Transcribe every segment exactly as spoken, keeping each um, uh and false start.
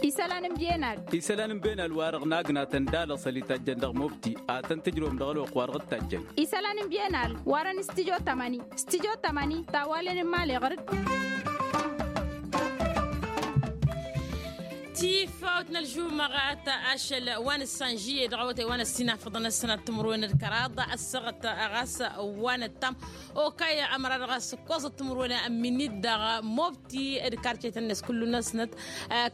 Isălan n-biyenal. Isălan n-biyenal wa-dăɣ n-agnatăn d-alăṣăl itajjăn dăɣ-mobti ad-tăn-tǝjrǝwăm dăɣ-ălwăqq wa-dăɣ dd-tajjăn. Isălan n-biyenal warăn s-tijo tamăni s-tijo tamăni tawalen n-imali ɣăr-dd. Tifawt n-ălžumăɣat ašăl wa n-ǝssanžiye dăɣ-awătay wa n-ăssinafăḍăn ăssinat timǝrwen d-kăraḍ ăssăɣăt ɣas wa n-ăttam. Okăy ămăra dăɣ-a-s ǝkkoẓăt timǝrwen n-minit dăɣ-mobti d-karcetăn-net kullu-năsnăt.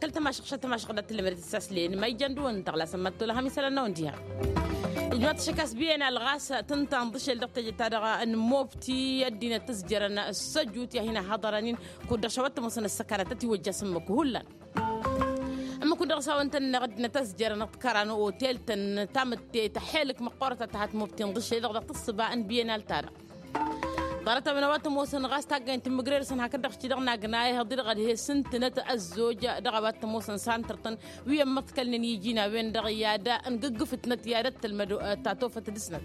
Kăl-tămašăɣ šăt tămašăɣ dat-tǝllămădet s-aslen ma ijăn dăɣ-wăn-dăɣ lasăn mad-tolăhăm isălan n-awăn diha. Ijmaḍ-t šăk a-s biyenal ɣas tǝnta ǝnḍǝšel dăɣ-teje-ta-dăɣ n-mobti ăddinăt tǝzjărăn s-ăjut i-ad-hin-ăhhăḍărăn-in kud-dăɣ šăwăt tămoosăn ăssăkanăt ătiwăjja s-ǝmmǝk hullan. Ǝmmǝk-wǝn dăɣ-s a-wăn tăn-ănneɣ ăddinăt ăzjărăn ăṭṭkăran otel-tăn tamǝtte tăxelǝk măqqoorăt ad-tăhat mobti ǝnḍǝšel-dăɣ dăɣ-tǝssǝba n-biyenal-ta-dăɣ. Ḍarăt-a-wen a-wa t-ămoosăn ɣas taggay n-tǝmmǝgrerăsăn hakd-dăɣ š-ti-dăɣ n-agna ihăḍ-i-dăɣ ad-he-sǝntǝnăt ăzzoj dăɣ-a-wa t-ămoosăn s-antărtăn wi ămmăḍkălnen iji n-a-wen-dăɣ i-ad-ǝngǝggǝfǝtnăt i-ad-ăttălmăd tatofăt dăɣ-snăt.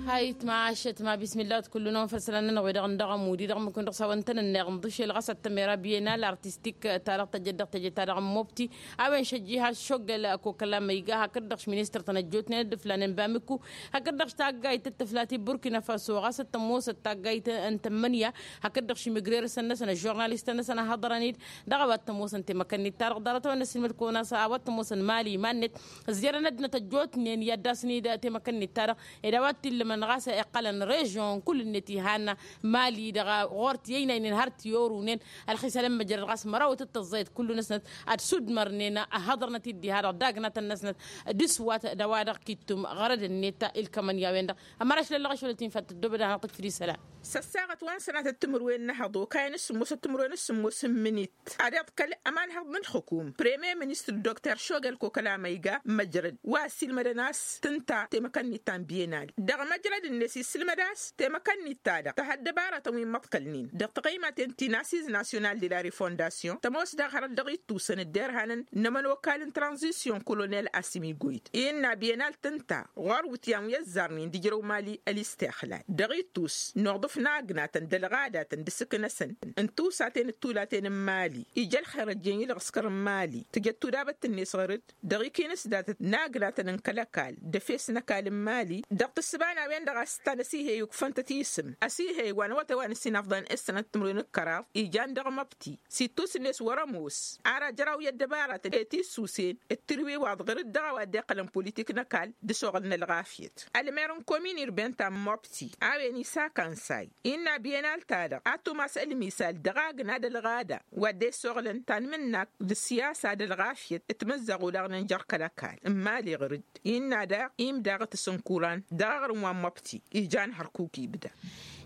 Hayt mašăt ma bismillah wăt kullu-năwăn făll-isălan-nănăɣ wi-dăɣ n-dăɣ-ămud-i-dăɣ ǝmmǝk-wǝn dăɣ-s a-wăn tăn-ănneɣ ǝnḍǝšel ɣas ad-tămera biyenal artistik-ta-dăɣ tăjjăd dăɣ-teje-ta-dăɣ n-mobti. A-wen šăjji has-šoggăl kokăla ma iga hakd-dăɣ š-ministăr-tăn ăjjootnen d-ǝflanen bamikku hakd-dăɣ š-taggayt d-tǝfla ti burkina faso ɣas t-ămoosăt taggayt n-tămmănǝya hakd-dăɣ š-imǝgrerăsăn-năsăn ăžžurnalistăn-năsăn a hăḍărăn-dd. Dăɣ-a-wa t-ămoosăn temăkăn-nit-ta-dăɣ ḍarăt-a-wen n-ăssiilmăd kăwăn-as a-wa t-ămoosăn mali iman-net ǝzjărăn ăddinăt ăjjootnen i-ad-dasăn-dd temăkăn-nit-ta-dăɣ ed a-wa t-illămăn ɣas iqqălăn režion kull-net ihan mali-dăɣ ɣur-t i-ăynaynen har t-i-orunen. Ălxisal n-măjrăd ɣas mărawăt d-tăẓẓayăt kullu-năsnăt ad-sudmărnen ăhhăḍărnăt-dd diha-dăɣ dagnatăn-năsnăt d-iswat d-a-wa-dăɣ kittǝm ɣărăd-net ilkămăn i-a-wen-dăɣ. Ămăraš lăllăɣ ašăl ătinfat tăddobăd ad-hanăɣ-tǝkfǝd isălan. S-ăssaɣăt wa n-sănatăt timǝrwen n-ehăḍ okayăn s-sǝmmosăt timǝrwen s-sǝmmos n-imǝnit ad-iḍkăl ămanhăḍ n-ǝlxǝkum premier ministăr dokter šogăl kokăla ma iga măjrăd wa ăssiilmădăn a-s tǝnta temăkăn-nit ta n-biyenal dăɣ-măjrăd-net issǝlmăd a-s temăkăn-nit-ta-dăɣ tăha ăddăbarătăn wi n-imăḍkălnen dăɣ-taɣăymaten ti n-asiz nasyonal de la refondasyon tămoos daɣ hărăt dăɣ-ittusăn dd-irhanăn n-ămănokal n-tranzisyon kolonel asimigoyt innă biyenal tǝnta ɣur-wǝtyan wi ăzzarnen d-ijrăw mali ălistixlal dăɣ-ittus n-uḍǝf n-agnatăn d-ălɣadatăn d-asǝk-năsăn n-tusaten d-tulaten n-mali ija ălxer ăjjeen i-lăɣskăr n-mali tǝjăd tudabăt-net ɣăr-dd dăɣ-ikinǝs datăt n-agnatăn n-kăl-ăkall d-efes n-ăkall n-mali dăɣ-tǝssǝba n-a-wen-dăɣ a-s tăn-ăsihey ukfăn-tăt isǝm ăsihey wa n-awătay wa n-ăssinafḍan s-sănat timǝrwen d-kăraḍ ijan dăɣ-măbti s-ittus-net wăr-ămoos ara jăraw i-ăddăbaratăn i-tisusen d-tǝrwiwaḍ ɣăr-dd dăɣ-a-wa dd-iqqălăn politik n-ăkall d-asoɣăl n-ălɣafyăt ălmer n-komin urben ta n-mobti a-wen isakansay innă biyenal-ta-dăɣ ad-tumas ălmisal dăɣ-agna d-ălɣada wa dd-esoɣlăn tanmǝnnakt d-ăssiyasa d-ălɣafyăt timǝzzaɣ olaɣnen jer-kăl-ăkall n-imali ɣăr-dd innă daɣ imdaɣăt s-ǝnkuran dăɣ-aɣrǝm wa n-mobti ijan hărkuk ibda.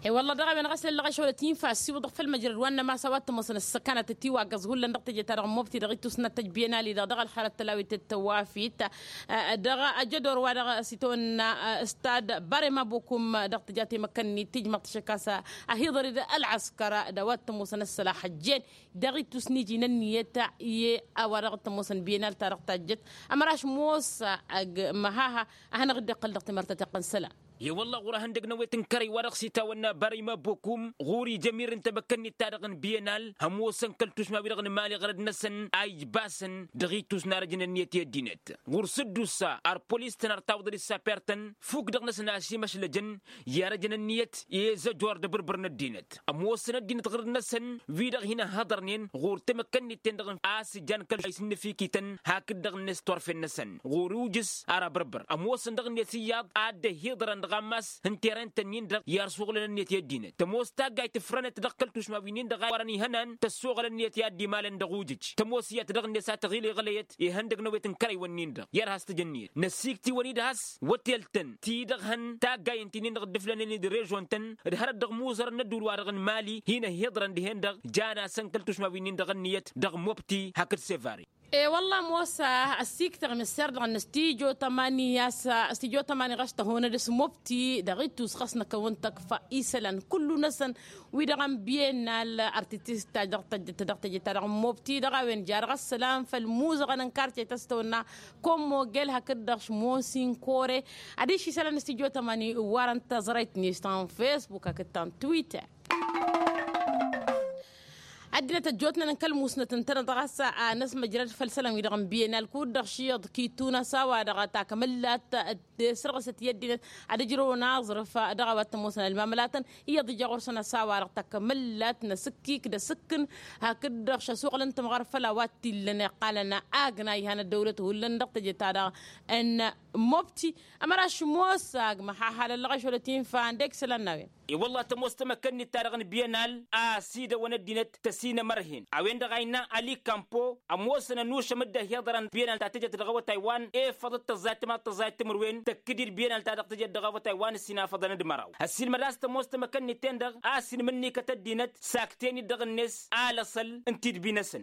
I-wălla dăɣ-a-wen ɣas lăllăɣ ašăwălăt infa ăssiwǝḍăɣ făll-măjrăd wa n-năma a-s a-wa t-ămoosăn ăssăkanăt ătiwaggăẓ hullan dăɣ-teje-ta-dăɣ n-mobti dăɣ-ittus n-ad-tăjj biyenal-i-dăɣ dăɣ-ălxărăt tălawit d-tăwafit. Dăɣ-ajădor wa dăɣ-s itawănna stad barema bokum dăɣ-tǝja temăkăn-nit tǝjmăḍ t-šăkasă ăhiḍăr-dd ălɣăskăr d-a-wa t-ămoosăn ăssălax ăjjeen dăɣ-ittus n-iji n-ănniyăt i-a-wa dăɣ-t-ămoosăn biyenal-ta-dăɣ tajjăt. Ămăraš mosa ăgg-măhaha a hanăɣ-dd-iqqăl dăɣ-timărtăt iqqăn isălan. I-wălla ɣur-ehăndăg n-awet n-kărăy wa dăɣ-s itawănna barăy mabbokum ɣur-ija ămirrǝn temăkkăn-nit-ta-dăɣ n-biyenal hămoosăn kăl-tušma-wi-dăɣ n-imali ɣărăd-năsăn a ijbasăn dăɣ-ittus n-arăj n-ănniyăt i-ăddinăt ɣur-sǝddusa ar polis-tăn ar tawǝḍăd issaper-tăn fuk dăɣ-năsăn a-s imăšlăjăn i-arăj n-ănniyăt i-ezăjor d-abǝrbǝr n-ăddinăt ămoosăn ăddinăt ɣǝrǝd-năsăn wi-dăɣ hin-ăhhăḍărnen ɣur-temăkkăn-nit-ten-dăɣ a-s ǝjjan kăl-a isǝnnǝfikităn hakd-dăɣ-net torfen-năsăn ɣur-iwjǝs ara abǝrbǝr ămoosăn dăɣ-net iyyăḍ a dd-ăhhiḍărăn dăɣ-ammas n-terren-tăn-in-dăɣ i-arsuɣǝlăn ǝnniyăt i-ăddinăt tămoos taggayt ǝfrănăt dăɣ-kăl-tušma wi-nin-dăɣ a warăn ihănan tăssoɣăl ǝnniyăt i-ad-dd-imalăn dăɣ-ujǝj tămoos iyyăt dăɣ-net a tăɣil iɣlăyăt ihăndăg n-awet n-kărăy-wăn-nin-dăɣ i-ad-has-tǝjǝnniyăt năsiktǝwăn-dd has-wătel-tăn ti-dăɣ hăn taggayen ti-nin-dăɣ dd-ǝflănen d-režon-tăn d-hărăt dăɣ-imuzărăn n-ădduul-wa-dăɣ n-mali hin-ăhhiḍărăn dihen-dăɣ jan-asăn kăl-tušma wi-nin-dăɣ ǝnniyăt dăɣ-mobti hakd sevari. E-wălla ămoos ăssiiktăɣ imǝsser-dăɣ n-studyo tămani a-s studyo tămani ɣas tăhonăd s-mobti dăɣ-ittus ɣas năkkăwăn tăkfa isălan kullu-năsăn wi-dăɣ n-biyennal artitist ta dăɣ-tăjjăt ta dăɣ-mobti dăɣ-a-wen jarăɣ ăssălam făll-muzăɣăn n-karce tăstăwănna. Kommogel hakd-dăɣ šmosin kore adiš isălan n-studyo tămani warăn tăẓrăyt-net ta n-facebook hakd ta n-twitter. Ăddinăt ăjjootnen n-kăl-musnăt ǝntăneḍ ɣas a năsmăjrăd făll-isălan-wi-dăɣ n-biyenal kud-dăɣ šiyyăḍ kitun a-s a-wa-dăɣ takămăllat tesrăɣsăt i-ăddinăt ad-ǝjrăwăn aẓrǝf dăɣ-a-wa t-ămoosăn ălmamălatăn iyyăḍ ija ɣur-săn a-s a-wa-dăɣ takămăllat n-asǝkkik d-asǝkkǝn hakd-dăɣ šăsuɣǝl n-tǝmɣăr făll-a-wa t-illăn iqqalăn agna ihan ăddăwlăt hullan dăɣ-teje-ta-dăɣ n-mobti. Ămăraš mosa agmăh a halăllăɣ ašolăt infa ăndek isălan n-a-wen. I-wălla tămoos tamăkănnit-ta-dăɣ n-biyenal a ăsidăwăn ăddinăt tăsinămărhen a-wen-dăɣ a innă ali kampo ămoosăn ănušăm dd-ăhiḍărăn biyenal ta tǝjăt dăɣ-awătay wa n-efăḍăt tăẓẓayt timaḍ tăẓẓayt timǝrwen tăkk-dd biyenal ta dăɣ-tǝjăt dăɣ-awătay wa n-ǝssinafăḍăn d-măraw. Ăssiilmăd a-s tămoos tamăkănnit-ten-dăɣ a-s inmǝnnikăt ăddinăt sakten-dd dăɣ-net alăṣăl n-tidbi-năsăn.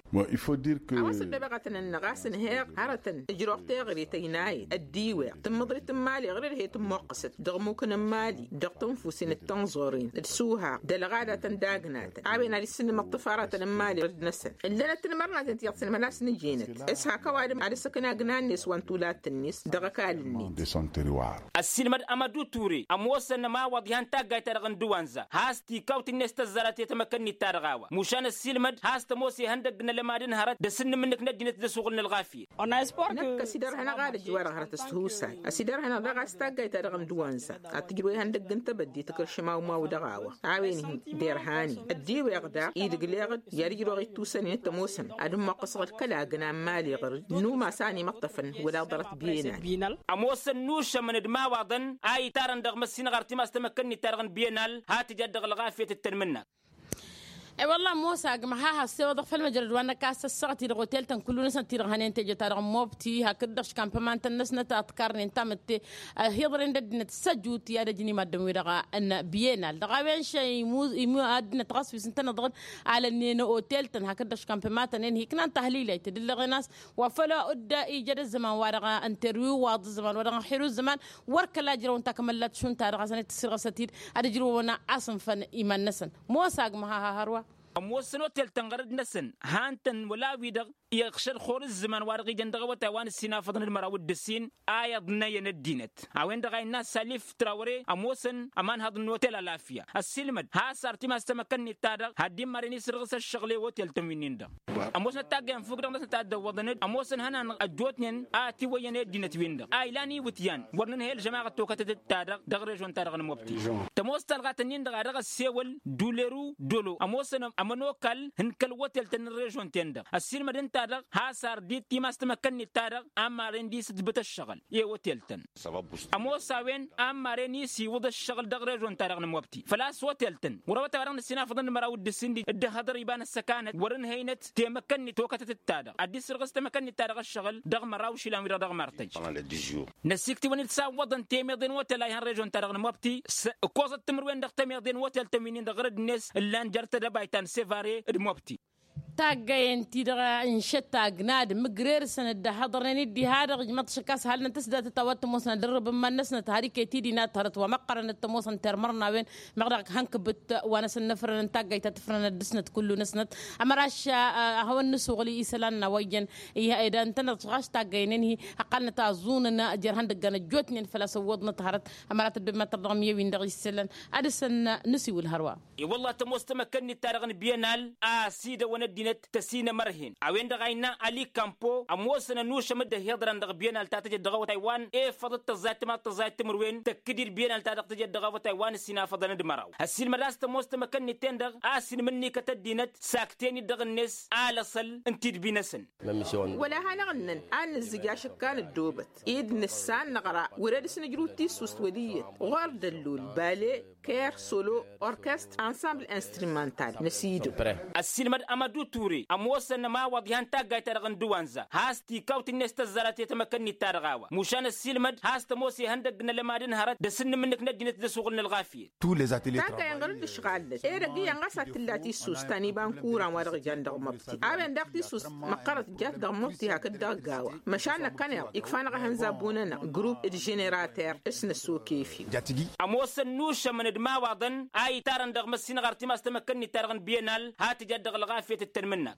A-wa s-ăddăbeɣătăn-năɣ a-s ǝnheɣ hărătăn ǝjrăɣ teɣăre tăynayăt ăddiweɣ tǝmmǝḍrit n-imali ɣǝr-dd he-tǝmmoqqăsăt dăɣ-imukăn n-imali dăɣ-tănfusin d-tănẓoren d-suhaɣ d-ălɣadatăn d-agnatăn a-wen ad-issǝnnǝmăḍ tǝfaratăn n-imali ɣǝr-dd-năsăn. Ǝllănăt tinmărnaten ti iyyăḍ s-inmănas n-ǝjinăt s-hak ăwadǝm ad-ăssăkna agna-net wa n-tulat-net dăɣ-ăkall-net. Ăssiilmăd amădu ture ămoosăn ămawaḍ ihan taggayt-ta-dăɣ n-dăwanza has-tikawt-net tăzzarăt i-tamăkănnit-ta-dăɣ a-wa mušan ăssiilmăd has-tămoos ihăndăgg n-ălămad n-hărăt d-asǝnnǝm-nǝk n-ăddinăt d-assuɣǝl n-ălɣafyăt. Năkk ăsidărhănăɣ ad-ăjj wa-dăɣ hărăt s-tihusay ăsidărhănăɣ daɣ a-s taggayt-ta-dăɣ n-dăwanza ad-tǝjrǝw ihăndăgg n-tebădde tǝkrǝšăm awmaw dăɣ-a-wa a-wen-hi derhanen ăddiweɣ daɣ idǝgleɣ-dd i-ad-ǝjrăwăɣ ittusăn-in t-ămoosăn ad-ǝmmoqqăsăɣ d-kălagna n-imali ɣăr-dd n-umas a ănimăṭṭăfăn wăla ḍarăt biyenal. Ămoosăn nušămăn d-imawaḍăn a itarăn dăɣ-măssinăɣ ar timas tamăkkănnit-ta-dăɣ n-biyenal ha tǝja dd-dăɣ-ălɣafyăt d-tanmǝnna. E-wălla ămoos agmăh a has-sewăḍăɣ făll-măjrăd wa n-ăkk a-s ăssaɣăt-i-dăɣ otel-tăn kullu-năsnăt-ti-dăɣ hănen teje-ta-dăɣ n-mobti hakd-dăɣ škampăman-tăn-năsnăt a ǝtkarnen tamǝtte ăhiḍăren d-ăddinăt s-ăjut i-ad-ăjǝn imaddǝm-wi-dăɣ n-biyenal dăɣ-a-wen šăy imu ăddinăt ɣas wi s-ǝntăneḍ-dăɣ n-alănnen otel-tăn hakd-dăɣ škampăman-tăn-en hi ǝknan tahlilay tǝdǝllăɣen a-s wa făl dd-ija d-ăzzăman wa dăɣ-interwiwaḍ ăzzăman wa dăɣ-inxir ăzzăman wăr kăla ǝjrăwăn takămăllat šund-ta-dăɣ a-s ănităssirɣăsăt-dd ad-ǝjrǝwăn a-s ǝnfăn iman-năsăn. Mosa agmăh a ha hărwa. Ămoosăn otel-tăn ɣărăd-năsăn han-tăn wăla wi-dăɣ iɣšăd xor ǝzzăman wa dăɣ-ijăn dăɣ-awătay wa n-ǝssin afăḍăn d-măraw d-ǝssin a iyyăḍ n-ăyăn ăddinăt a-wen-dăɣ a innă salif trawre ămoosăn ămanhăḍ n-otel alafya ăssiilmăd has-artim a-s tamăkănnit-ta-dăɣ had-dd-immaren isǝrɣǝs ăššăɣǝl i-otel-tăn wi-nin-dăɣ. Ămoosnăt taggay n-fukk-dăɣ-năsnăt a dd-ăwwăḍăn-dd ămoosăn ihănan ăjjootnen a ătiwăyyăn i-ăddinăt-win-dăɣ a ilan iwǝtyan wăr nǝnhăy ălžămaɣăt tokătăt-dd-ta-dăɣ dăɣ-režon-ta-dăɣ n-mobti. Tămoos talɣat-ǝnnin-dăɣ a dăɣ-ăssewăl duleru dolo ămoosăn ămănokal n-kăl-otel-tăn n-režon-ten-dăɣ ăssiilmăd ǝnta-dăɣ has-ar dd-timas tamăkkănnit-ta-dăɣ a ămmaren d-isǝtbǝt ăššăɣǝl i-otel-tăn. Ămoos a-wen a ămmaren isiwǝḍ ăššăɣǝl dăɣ-režon-ta-dăɣ n-mobti făl-a-s otel-tăn ɣur-awătay wa dăɣ-nǝssin afăḍăn d-măraw d-ǝssin dd-dd-ăhhăḍăr iba n-ăssăkanăt wăr-ǝnhăynăt temăkkănnit tokătăt-dd-ta-dăɣ ad-dd-sǝrɣǝs temăkkănnit-ta-dăɣ ăššăɣǝl dăɣ-măraw išilan-wi-dăɣ dăɣ-martăj. Ămoosnăt tiwănit s-awwăḍăn temeḍe n-otel a ihăn režon-ta-dăɣ n-mobti s-ǝkkoẓăt timǝrwen dăɣ-temeḍe n-otel-tăn wi-nin-dăɣ ɣărăd-net ǝllan jer-tedăbayt ta n-sevare d-mobti. Taggayen-ti-dăɣ ǝnšăt agna d-imǝgrersăn dd-ăhhăḍărnen-dd diha-dăɣ ijmăḍ šăkk a-s halnăt s-datăt a-wa t-ămoosnăt dărrăb n-iman-năsnăt har iket-i dinat hărăt wa măqqărăn d-tămoosăn termărnawen meɣ dăɣ-hănkǝbǝt wa n-asǝnnăfrănăn taggayt ta tǝfrănăt dăɣ-snăt kullu-năsnăt. Ămăraš ad-hawăn-nǝsuɣǝl isălan n-a-wa iyyăn ed ǝntăneḍ ɣas taggayen-en-hi ăqqalnăt aẓunăn jer-ihăndăggan ăjjootnen făl-a-s ǝwwăḍnăt hărăt. Ămărat ăddob măttăr dăɣ-miyăwin dăɣ-isălan ad-dăr-săn nǝsiwǝl hărwa. I-wălla tămoos tamăkkănnit-ta-dăɣ n-biyenal a ăsidăwăn ăddinăt tăsinămărhen a-wen-dăɣ a innă ali kampo ămoosăn ănušăm dd-ăhiḍărăn dăɣ-biyenal ta tăjăt dăɣ-awătay wa n-efăḍăt tăẓẓayt timaḍ tăẓẓayt timǝrwen tăkk-dd biyenal ta dăɣ-tăjăt dăɣ-awătay wa n-ǝssin afăḍăn d-măraw. Ăssiilmăd a-s tămoos tamăkkănnit-ten-dăɣ a-s inmǝnnikăt ăddinăt sakten-dd dăɣ-net alăṣăl n-tidbi-năsăn. Wăla hanăɣ-ǝnnăn ad-nǝzzǝj ašǝkka n-ăddoobăt ed nǝssan năɣra wăr-e dăr-s nǝjrǝw tissust wăl' iyyăt ɣur-dăllul bale ker solo orkestr ănsamble instrumental n-asidăw. Ăssiilmăd amădut. ture ămoosăn ămawaḍ ihăn taggayt-ta-dăɣ n-dăwanza has-tikawt-net tăzzarăt i-tamăkănnit-ta-dăɣ a-wa mušan ăssiilmăd has-tămoos ihăndăgg n-alămad n-hărăt d-asǝnnǝm-nǝk n-ăddinăt d-asuɣǝl n-ălɣafyăt. Taggayăn ɣur-dd ǝšɣal-net edăgg iyyăn ɣas ad-t-tǝlla tissust ta n-iba n-kuran wa dăɣ-ijan dăɣ-măbti a-wen daɣ tissust măqqărăt jat dăɣ-măbti hakd-dăɣ gawa. Măšan năkkăneḍ ikfa-năɣ ehăn zabbun-anăɣ grup d-ženerater s-năssoke fi. Ămoosăn nušămăn d-imawaḍăn a itarăn dăɣ-măssinăɣ artimas tamăkkănnit-ta-dăɣ n-bienal ha tǝjat dăɣ-ălɣafyăt d-tanmǝnna.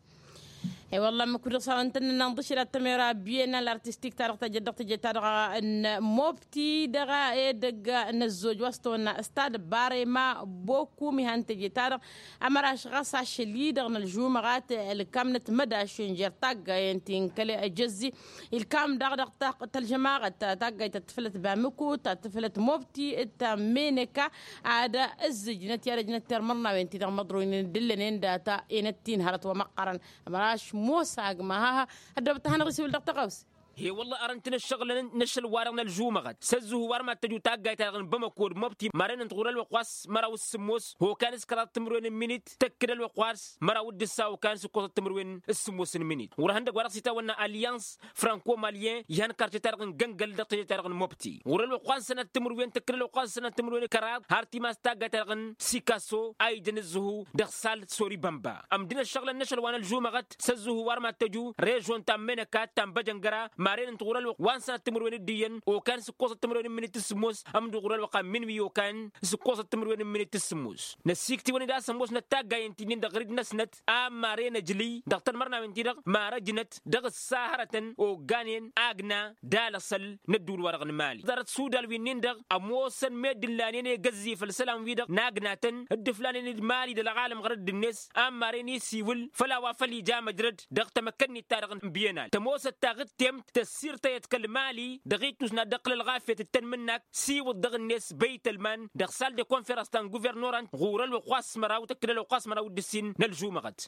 I-wălla ămmăk wi-dăɣ s-a-wa ǝntănnăn n-aḍǝšǝl ad-tămera bienal artistik-ta-dăɣ tăjăt dăɣ-tǝjet-ta-dăɣ n-mobti dăɣ-edăgg n-ăzzoj wa s-tăwănna stad barema bokum ihan tăjet-ta-dăɣ. Ămăraš ɣas ašăl-i-dăɣ n-ălžumăɣat ǝlkam n-ătmădašen jer-taggayen ti n-kăl-ejăzzi. Ǝlkam daɣ dăɣ-tălžămaɣăt taggayt ta tǝflăt bamǝku ta tǝflăt mobti ta meneka ad-ǝzzǝjnăt i-ad-ăjnăt termărnawen-ti-dăɣ măḍroynen d-ǝllănen data enăt-ti n-hărăt wa măqqărăn. Ămăraš mosa agma haha. Ăddoobăt ta hanăɣ-isǝwǝl dăɣ-tăɣawse. He-wălla arăn-t-nǝššăɣǝlăn n-ašăl-wa-dăɣ n-ălžumăɣăt s-ăzzǝhu wa rămad tăju taggayt-ta-dăɣ n-bamăko d-mobti marăynăn-t ɣur-ălwăqq wa s-măraw d-sǝmmos hokan s-kăraḍ timǝrwen n-minit tăkk-dd ălwăqq wa s-măraw d-ǝssa hokan s-ǝkkoẓăt timǝrwen. S-sǝmmos n-minit ɣur-ihăndăgg wa dăɣ-s itawănna alyans franco-malyen ihăn karce-ta-dăɣ n-găngăl dăɣ-teje-ta-dăɣ n-mobti ɣur-ălwăqq wa n-sănat timǝrwen tǝkkǝl ălwăqq wa n-sănat timǝrwen kăraḍ har timas taggayt-ta-dăɣ n-sikaso a ijăn ǝzzǝhu dăɣ-sal sori bănba. Ămdǝn-ăššăɣǝlăn n-ašăl wa n-ălžumăɣăt s-ăzzǝhu wa rămad tăju režon ta n-menăka ta n-băjăngăra maren ǝnta ɣur-ălwăqq wa n-sănat timǝrwen d-iyyăn okan s-ǝkkoẓăt timǝrwen n-minit s-sǝmmos ămdǝw ɣur-ălwăqq a n-minwi okan s-ǝkkoẓăt timǝrwen n-minit s-sǝmmos. Năssiiktiwăn-dd a-s ămoosnăt taggayen-ti-nin-dăɣ ɣǝr-dd-năsnăt a maren ăjlǝy dăɣ-tanmărnawen-ti-dăɣ marăjnăt dăɣ-ǝssa hărătăn ogganen agna d-alăsăl n-ădduul-wa-dăɣ n-mali ḍarăt sudal wi-nin-dăɣ ămoosăn meddǝn lanen egăzzi făll-isălan-wi-dăɣ n-agnatăn dd-ǝflanen d-mali d-ălɣalăm ɣărădd-net a n-maren isiwǝl făll-a-wa făl ija măjrăd dăɣ-tamăkkănnit-ta-dăɣ n-bienal tămoosăt taɣǝttemt tăssiirtăyăt kăl-mali dăɣ-ittus n-ad-dd-ăqqǝl ălɣafyăt d-tanmǝnnak siwǝḍ dăɣ-net băytălman dăɣ-sal de konferans ta n-guvernoran ɣur-ălwăqq wa s-măraw tăkk-dd ălwăqq wa s-măraw d-ǝssin n-ălžumăɣăt.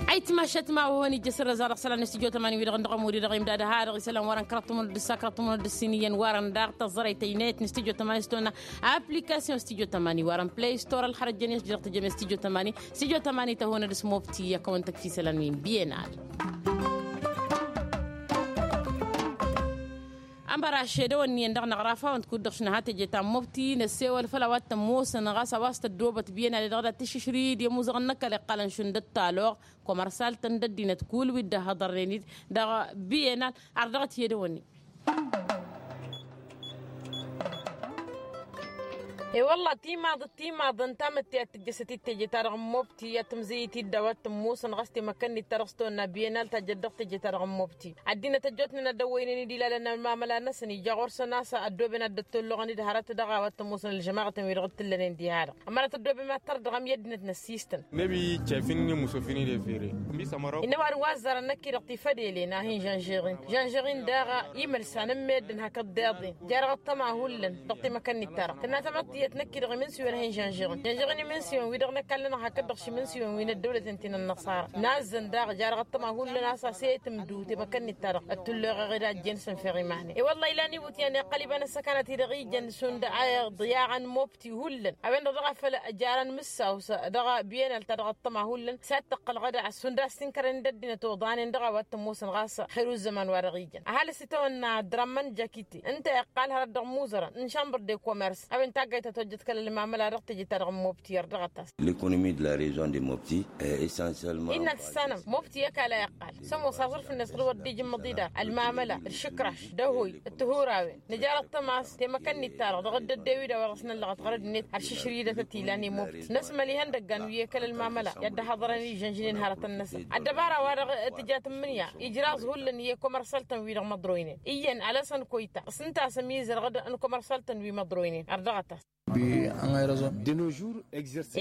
Ayǝtmašat ma-wa-hăn ijjăs ărrăza dăɣ-isălan n-stujo tămani wi-dăɣ n-dăɣ-ămudi-dăɣ imdad ha-dăɣ isălan wa-dăɣ n-kăraḍ tămănăd d-ǝssa kăraḍ tămănăd d-ǝssin iyyăn wa-dăɣ n-daɣ tăẓẓărăy tăynayăt n-stujo tămani s-tăwănna application stujo tămani wa-dăɣ n-play store ălxărăt jăn i-ăšjădăɣ tăjjăme stujo tămani. Stujo tămani tăhonăd s-mobti i-ad-kăwăn-tăkf isălan wi n-bienal. Ămăraš edăwănni-en dăɣ-năɣrafawăn-t kud-dăɣ šinăha teje ta n-mobti năssewăl făll-a-wa t-ămoosăn ɣas a-wa s-tăddoobăt bienal i-dăɣ dat-tǝššǝšrǝy-dd i-ămuzăɣăn n-ăkall iqqalăn šund ăttalăɣ. Kămărsal-tăn d-ăddinăt kull wi dd-ăhhăḍărnen-dd dăɣ-bienal ar dăɣ-t i-edăwănni. E-wălla timaḍ d-timaḍ ǝnta mătte ad-tǝjjăsăt-dd teje-ta-dăɣ n-mobti ad-tǝmzǝyǝt-dd a-wa t-ămoosăn ɣas temăkkănnit-ta-dăɣ s-tăwănna bienal tajjăt dăɣ-teje-ta-dăɣ n-mobti. Ăddinăt ăjjootnen ad-dd-ăwwăynen-dd ilalăn ălmamăla-năsăn ija ɣur-săn a-s ăddooben ad-dd-ăttolluɣăn-dd hărăt dăɣ-a-wa t-ămoosăn ălžămaɣătăn-wi-dăɣ t-ǝllănen diha-dăɣ. Ămărat ăddooben ad-tărdăɣăm i-ăddinăt n-ăssistăn. Nebi cefin n-imusofin-i defere. Innă ăwadǝm wa ăzzarăn năkk-i-dăɣ tifădelen a hin-žănžeɣ-in žănžeɣ-in daɣ imălsan n-meddǝn hakd deḍen. Jarăɣ ăṭṭăma hullan dăɣ-temăkănnit-ta-dăɣ tǝnna tamăḍt tiyyăt năkk-i-dăɣ imǝnsǝwen a hin-žănžeɣ-in žănžeɣ-in imǝnsǝwen-wi-dăɣ năkallănăɣ hakd-dăɣ šimǝnsǝwen wi n-ăddăwlăten ti n-ănnăṣara. Nazzăn daɣ jarăɣ ăṭṭăma hullan a-s a-s e-tǝmdǝw temăkănnit-ta-dăɣ ăttullăɣăɣ-dd a ǝjjen s-ănfeɣ iman-en. E-wălla ilan iwǝtyan iqqăl iba n-ăssăkanăt-i-dăɣ ijăn šund a iḍyaɣăn mobti hullan a-wen-dăɣ dăɣ-a făl ăjarăn mǝssaw s-dăɣ-biyenal ta dăɣ-ăṭṭăma hullan s-ad-tăqqălăɣ ad-a šund a-s tinkărăn-in d-ăddinăt oḍanen dăɣ-a-wa t-ămoosăn ɣas xer u-ăzzăman wa dăɣ-ijăn. Ăhalǝs itawănna ăddărămmăn jakite ǝnta iqqal hărăt dăɣ-imuzărăn n-šambăr de komers a-wen taggayt ta tojjăt kăl-ălmamăla dăɣ-teje-ta-dăɣ n-mobti ărdăɣăt-as. Lăkonomi d-la rezion de mobti e esansyelman. Innă tǝssanăm mobti i-ăkall a iqqal s-ămoos aẓrǝf-net ɣur-wăr dd-ijǝmmăḍ idar ălmamăla d-išǝkraš d-ăhoy d-tihurawen. Nǝjar ăṭṭăma a-s temăkănnit-ta-dăɣ dăɣ-dd-ăddew-i d-a-wa dăɣ-s năllăɣăt ɣărăd-net ălšǝšrǝy-dăt ătilan i-mobti năsmăl ihăndăggan wi e-kăl-ălmamăla i-ad-dd-ăhhăḍărăn ižănžǝnen hărătăn-năsăn. Ăddăbara-wa-dăɣ tǝja tǝmmǝnǝya ijraẓ hullan i-komărsăltăn wi-dăɣ măḍroynen iyyăn alăsăn koyta s-ǝnta a-s ămizărăɣ-dd n-komărsăltăn wi măḍroynen ărdăɣăt-as.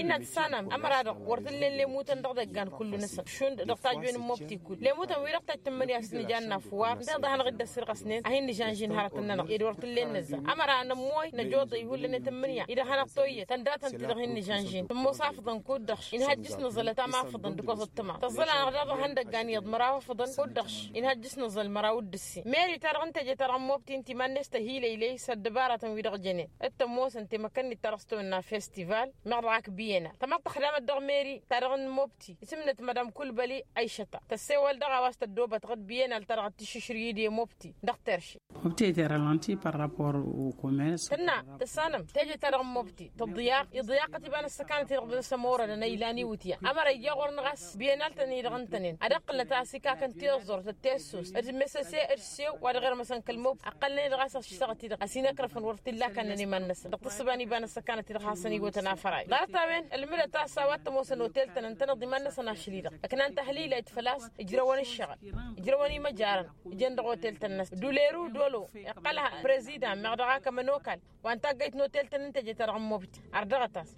Innă tǝssanăm ămăra-dăɣ wăr t-ǝllen lemutăn dăɣ-idăggan kullu-năsăn šund dăɣ-tajwen n-mobti kull lemutăn wi-dăɣ tajj tǝmmǝnǝya s-nǝja ănnafwar ǝnta-dăɣ hanăɣ-dd-ăssirɣăsnen ad-hin-nǝžănžin hărătăn-nănăɣ ed wăr t-ǝllen nǝzzăɣ. Ămăra nămmoy năjoḍăy hullan i-tǝmmǝnǝya-i-dăɣ hanăɣ-toyyăt tăndatăn-ti-dăɣ hin-nǝžănžin tǝmmos afǝḍăn kud-dăɣ-š inhăjj s-nǝẓǝlăt am afǝḍăn d-kăwăẓăt tǝma tăẓẓăl-anăɣ daɣ dăɣ-ihăndăggan iyyăḍ măraw afǝḍăn kud-dăɣ-š inhăjj s-nǝẓǝl măraw d-ǝssin. Meri-ta-dăɣ n-teje-ta-dăɣ n-mobti ǝnta iman-net tăhilăylăy s-ăddăbaratăn-wi-dăɣ jănen d-tămoosăn temăkăn. Tămăḍt-ta-dăɣ s-tăwănna festival meɣ dăɣ-ak biyena tămăḍt tăxdamăt dăɣ-meri-ta-dăɣ n-mobti. Isǝmnăt madam kulbăli, aishăta tăssewăl dăɣ-a-wa s-tăddobăt ɣǝd biyena-l-ta-dăɣ d-tišǝšrǝy-i d-e-mobti dăɣ-terše. Mobti ăyterălăn ti păr rapor. Ukome s-tănna tăssanăm teje-ta-dăɣ n-mobti tăḍḍǝyaq iḍǝyaqăt iba n-ăssăkanăt-i-dăɣ d-ălsămorădăn a ilan iwǝtya ămăra ija ɣur-năɣ a-s biyena-l-tăn-i-dăɣ ǝntănen ad-ăqqǝlnăt a-s ikakkăn tiẓẓurt d-tessost d-mesăse d-sew wa dăɣ-irmăsăn kăl-mobti ăqqălnen-i-dăɣ a-s ăššăɣăt-i-dăɣ ăsinăkrăfăn wăr t-illa akannăn iman-năsăn dăɣ-tǝssǝba n-iba n-ăssăkanăt-i-dăɣ hasăn-iwătăn afăray ḍarăt-a-wen ălmǝdăt a-s a-wa t-ămoosăn otel-tăn ǝntăneḍ iman-năsăn ašăl-i-dăɣ ǝknan tahlilayt făl-a-s ǝjrăwăn ǝššăɣǝl ǝjrăwăn imăjarăn ǝjăn dăɣ-otel-tăn-năsăn duleru dolo iqqăl prezidan meɣ dăɣ-ak ămănokal wa n-taggăyt n-otel-tăn n-teje-ta-dăɣ n-mobti. Ardăɣăt-as.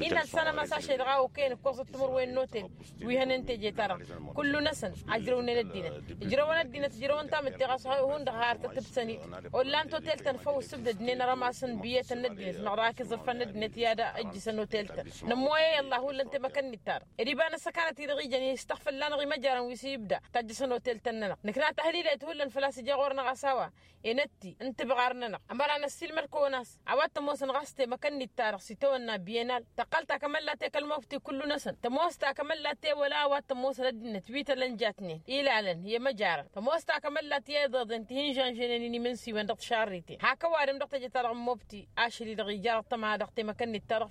Inna ălsanăm a-s ašăl-i-dăɣ a okăyăn ǝkkoẓăt timǝrwen n-otel wi hănen teje-ta-dăɣ kullu-năsăn a ǝjrăwnen ăddinăt ǝjrăwăn ăddinăt ǝjrăwăn tamǝtte ɣas hundăɣ har tăt-ǝbsăn-dd. Ollan totel-tăn făw ǝssǝbdădnen arămas n-biyyătăn n-ăddinăt meɣ dăɣ-ak iẓǝrfan n-ăddinăt i-ad-ǝjjǝsăn otel-tăn. Nămmoyăy ăllah hullan temăkăn-nit-ta-dăɣ ed iba n-ăssăkanăt-i-dăɣ ijăn i-s tăɣfălla-năɣ imăjarăn wi s-ibda tajjăsăn otel-tăn-nănăɣ nǝkna tahlilayt hullan făl-a-s ija ɣur-năɣ a-s a-wa enătti n-tibɣar-nănăɣ ămăra năssiilmăd-kăwăn a-s a-wa t-ămoosăn ɣas temăkăn-nit-ta-dăɣ s-itawănna biyănal tăqqăl ta kămăllat i-kăl-mobti kullu-năsăn tămoos ta kămăllat i-wăla a-wa t-ămoosăn ăddinăt wi tălănjatnen ilalăn i-măjarăn tămoos ta kămăllat i-iḍeḍen ti hin-žănžănen inimǝnsiwăn dăɣ-tišarriten hak ăwadǝm dăɣ-teje-ta-dăɣ n-mobti ašăl-i-dăɣ ija dăɣ-tăma dăɣ-temăkăn-nit-ta-dăɣ.